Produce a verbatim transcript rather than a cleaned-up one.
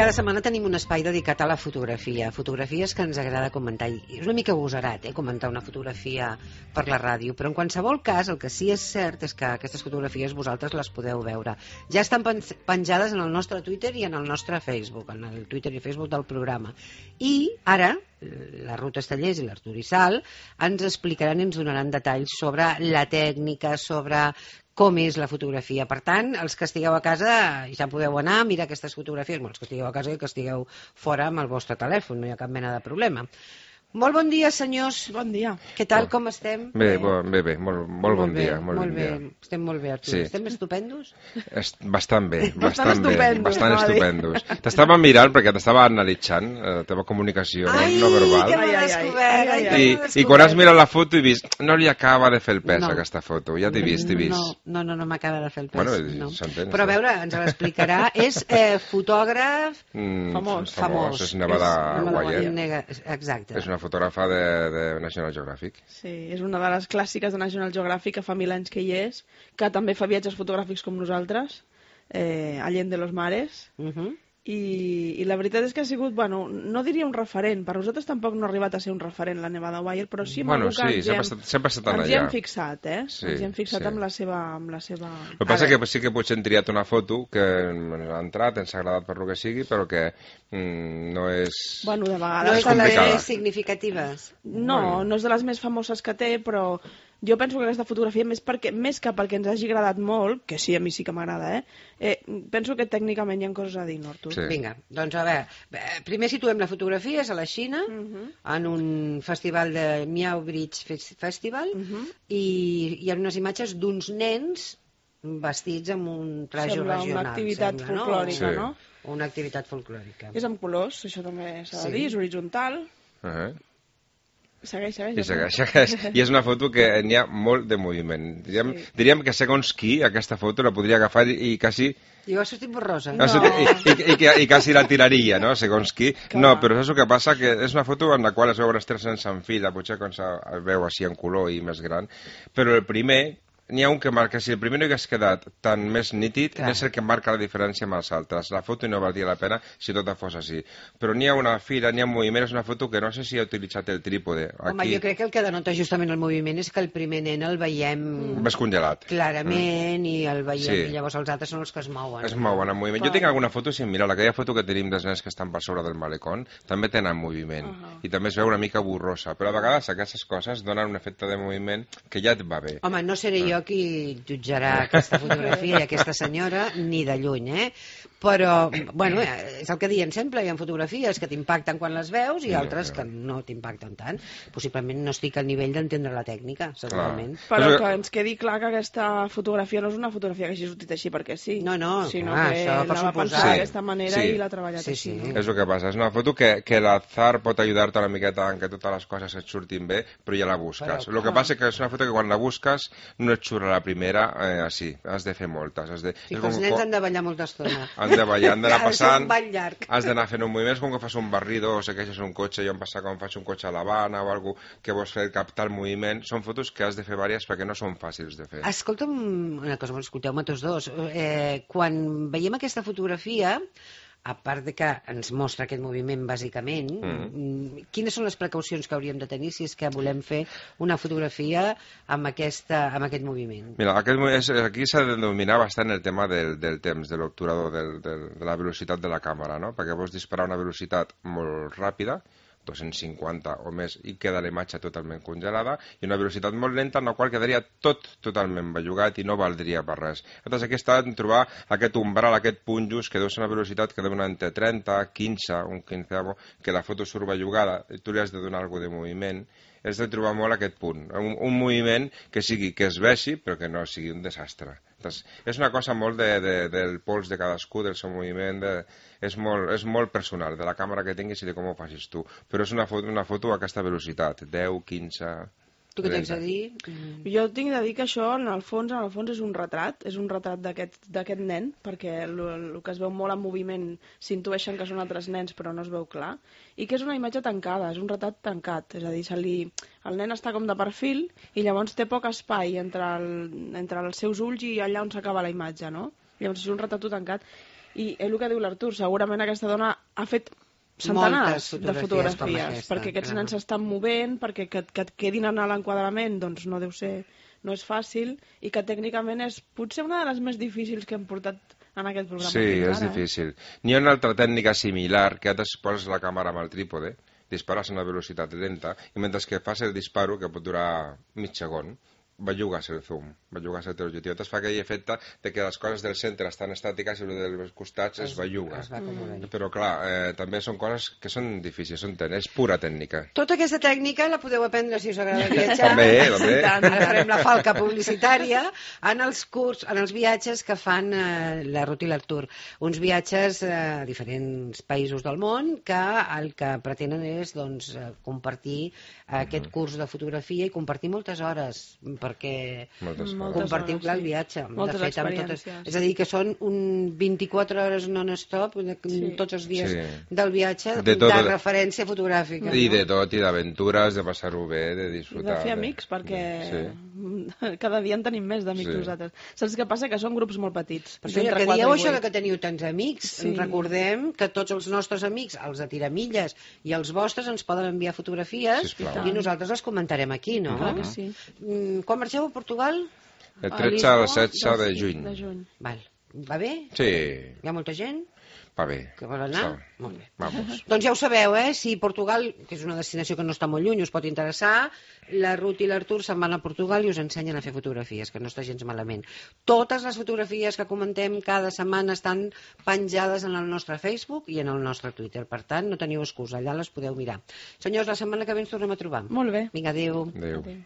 cada setmana tenim un espai dedicat a la fotografia, fotografies que ens agrada comentar. I és una mica agosarat, eh, comentar una fotografia per la ràdio, però en qualsevol cas el que sí és cert és que aquestes fotografies vosaltres les podeu veure. Ja estan penjades en el nostre Twitter i en el nostre Facebook, en el Twitter i Facebook del programa. I ara la Ruth Estellés i l'Artur Issal ens explicaran i ens donaran detalls sobre la tècnica, sobre com és la fotografia. Per tant, els que estigueu a casa ja podeu anar a mirar aquestes fotografies, els que estigueu a casa i que estigueu fora amb el vostre telèfon, no hi ha cap mena de problema. Molt bon dia, senyors. Bon dia. Què tal, com estem? Bé, bé, bé, molt, molt bon dia. Molt bé, estem molt bé, Artur. Estem estupendos? Bastant bé, bastant bé, estupendos, bastant no, estupendos. T'estava mirant perquè t'estava analitzant la teva comunicació no verbal. Ai, que m'he descobert. I quan has mirat la foto he vist, no li acaba de fer el pes aquesta foto, ja t'he vist, t'he vist. No, no, no m'acaba de fer el pes. Bueno, s'entén. Però a veure, ens l'explicarà. És fotògraf famós. Famós, és Nevada Wyatt. Exacte. És una fotògrafa de de National Geographic. Sí, és una de les clàssiques de National Geographic, que fa mil anys que hi és, que també fa viatges fotogràfics com nosaltres, eh, Allende los Mares, uh -huh. I, i la veritat és que ha sigut, bueno, no diria un referent, per nosaltres tampoc no ha arribat a ser un referent la Nevada Wyatt, però sí amb bueno, algú que sí, ens, sempre hem, estat, sempre estat ens allà. hi hem fixat, eh? Sí, ens hi hem fixat sí. amb la seva... Amb la seva... El que passa és que sí que potser hem triat una foto que ens ha entrat, ens ha agradat per lo que sigui, però que mm, no és... Bueno, de vegades... No és de les més significatives. No, bueno. no és de les més famoses que té, però... Jo penso que aquesta fotografia, més, perquè, més que perquè ens hagi agradat molt, que sí, a mi sí que m'agrada, eh? eh? Penso que tècnicament hi ha coses a dir, no, Artur? Sí. Vinga, doncs a veure, primer situem la fotografia, és a la Xina, uh -huh. en un festival de Miao Bridge Festival, uh -huh. i hi ha unes imatges d'uns nens vestits amb un traje sembla regional. Una activitat sembla, folclòrica, no? no? Sí. Una activitat folclòrica. És amb colors, això també s'ha de sí. dir, és horitzontal. Uh -huh. Segueix, segueix. I segueix, segueix. I és una foto que n'hi ha molt de moviment. Diríem, sí. diríem que segons qui aquesta foto la podria agafar i, i quasi... I ho ha sortit borrosa. No. I, i, i, I quasi la tiraria, no? Segons qui. Clar. No, però és el que passa, que és una foto en la qual es veuen els tres nens en fila, potser quan es veu així en color i més gran, però el primer... N'hi ha un que marca, si el primer no hagués quedat tan més nítid, Clar. és el que marca la diferència amb els altres. La foto no valdria la pena si tot fos així. Però n'hi ha una fila, n'hi ha un moviment, és una foto que no sé si ha utilitzat el trípode. Home, Aquí... jo crec que el que denota justament el moviment és que el primer nen el veiem... Mm. Més congelat. Clarament, mm. i el veiem, sí. i llavors els altres són els que es mouen. Es mouen en moviment. Clar. Jo tinc alguna foto, si mira, aquella foto que tenim dels nens que estan per sobre del malecón, també tenen moviment. Uh -huh. I també es veu una mica borrosa. Però a vegades aquestes coses donen un efecte de moviment que ja et va bé. Home, no seré jo qui jutjarà aquesta fotografia i aquesta senyora, ni de lluny, eh? Però, bueno, és el que diuen sempre, hi ha fotografies que t'impacten quan les veus i altres que no t'impacten tant. Possiblement no estic al nivell d'entendre la tècnica, segurament. Clar. Però que ens quedi clar que aquesta fotografia no és una fotografia que hagi sortit així perquè sí. No, no, sinó clar, que això per la va pensar sí. d'aquesta manera sí. i l'ha treballat sí, així. sí. No? És el que passa, és una foto que, que l'azar pot ajudar-te una miqueta en que totes les coses et surtin bé, però ja la busques. El que passa és que és una foto que quan la busques no et surt a la primera eh, així. Has de fer moltes. Has de... Sí, que els nens han de ballar molta estona. Han de ballar, han d'anar passant, llarg. has d'anar fent un moviment, com que fas un barrido o segueixes un cotxe, jo em passa com faig un cotxe a l'Havana o alguna que vols fer captar el moviment, són fotos que has de fer diverses perquè no són fàcils de fer. Escolta'm una cosa, escolteu-me tots dos, eh, quan veiem aquesta fotografia, a part de que ens mostra aquest moviment bàsicament, mm. quines són les precaucions que hauríem de tenir si és que volem fer una fotografia amb, aquesta, amb aquest moviment? Mira, aquest, és, aquí s'ha de dominar bastant el tema del, del temps, de l'obturador, del, del, de la velocitat de la càmera, no? Perquè vols disparar a una velocitat molt ràpida, dos-cents cinquanta o més, i queda la imatge totalment congelada, i una velocitat molt lenta en la qual quedaria tot totalment bellugat i no valdria per res. Llavors aquí està en trobar aquest umbral, aquest punt just, que deu ser una velocitat que deu anar entre trenta, quinze, un quinzeavo, que la foto surt bellugada, i tu li has de donar alguna de moviment, has de trobar molt aquest punt, un, un moviment que sigui, que es vegi, però que no sigui un desastre. Entonces, és una cosa molt de, de, del pols de cadascú, del seu moviment, de, és, molt, és molt personal, de la càmera que tinguis i de com ho facis tu. Però és una foto, una foto a aquesta velocitat, deu, quinze... Tu què tens a dir? Mm. Jo tinc de dir que això, en el fons, en el fons és un retrat, és un retrat d'aquest nen, perquè el que es veu molt en moviment s'intueixen que són altres nens, però no es veu clar, i que és una imatge tancada, és un retrat tancat, és a dir, se li... el nen està com de perfil i llavors té poc espai entre, el... entre els seus ulls i allà on s'acaba la imatge, no? Llavors és un retrat tancat. I és el que diu l'Artur, segurament aquesta dona ha fet centenars Moltes de fotografies com fotografies, aquesta, perquè aquests clar. nens s'estan movent, perquè que, que et quedin en l'enquadrament doncs no deu ser, no és fàcil, i que tècnicament és potser una de les més difícils que hem portat en aquest programa. Sí, fins és ara, difícil. N'hi ha una altra tècnica similar, que et poses la càmera amb el trípode, dispares a una velocitat lenta, i mentre que fas el disparo, que pot durar mig segon, bellugues el zoom, bellugues el teu objectiu. Llavors fa aquell efecte de que les coses del centre estan estàtiques i les dels costats es, es belluga. Es va acomodant. Però clar, eh, també són coses que són difícils, són ten... és pura tècnica. Tota aquesta tècnica la podeu aprendre si us agrada viatjar. També, també. Sí, tant. Ara farem la falca publicitària en els curs, en els viatges que fan eh, la Ruth i l'Artur. Uns viatges eh, a diferents països del món que el que pretenen és doncs, eh, compartir aquest curs de fotografia i compartir moltes hores perquè Moltes Moltes coses. compartiu hores, clar el sí. viatge. Moltes de fet, amb totes, experiències. és a dir, que són un vint-i-quatre hores non-stop Sí. tots els dies Sí. del viatge De de, tot, de de- referència fotogràfica. I no? de tot, i d'aventures, de passar-ho bé, de I disfrutar. de fer amics, perquè Sí. cada dia en tenim més d'amics Sí. nosaltres. Saps què passa? Que són grups molt petits. Per això, ja d'entre que quatre dieu i això de vuit. que teniu tants amics, Sí. recordem que tots els nostres amics, els de tiramilles i els vostres, ens poden enviar fotografies Sisplau. i nosaltres les comentarem aquí, no? Clar que sí. Mm, Quan marxeu a Portugal? El A tretze al Lisboa, setze de sí, juny. de juny. Val. Va bé? Sí, Hi ha molta gent va bé. que vol anar? Està. Molt bé. Vamos. Doncs ja ho sabeu, eh? Si Portugal, que és una destinació que no està molt lluny, us pot interessar, la Ruth i l'Artur se'n van a Portugal i us ensenyen a fer fotografies, que no està gens malament. Totes les fotografies que comentem cada setmana estan penjades en el nostre Facebook i en el nostre Twitter. Per tant, no teniu excusa, allà les podeu mirar. Senyors, la setmana que ve ens tornem a trobar. Molt bé. Vinga, adéu. Adéu. Adéu.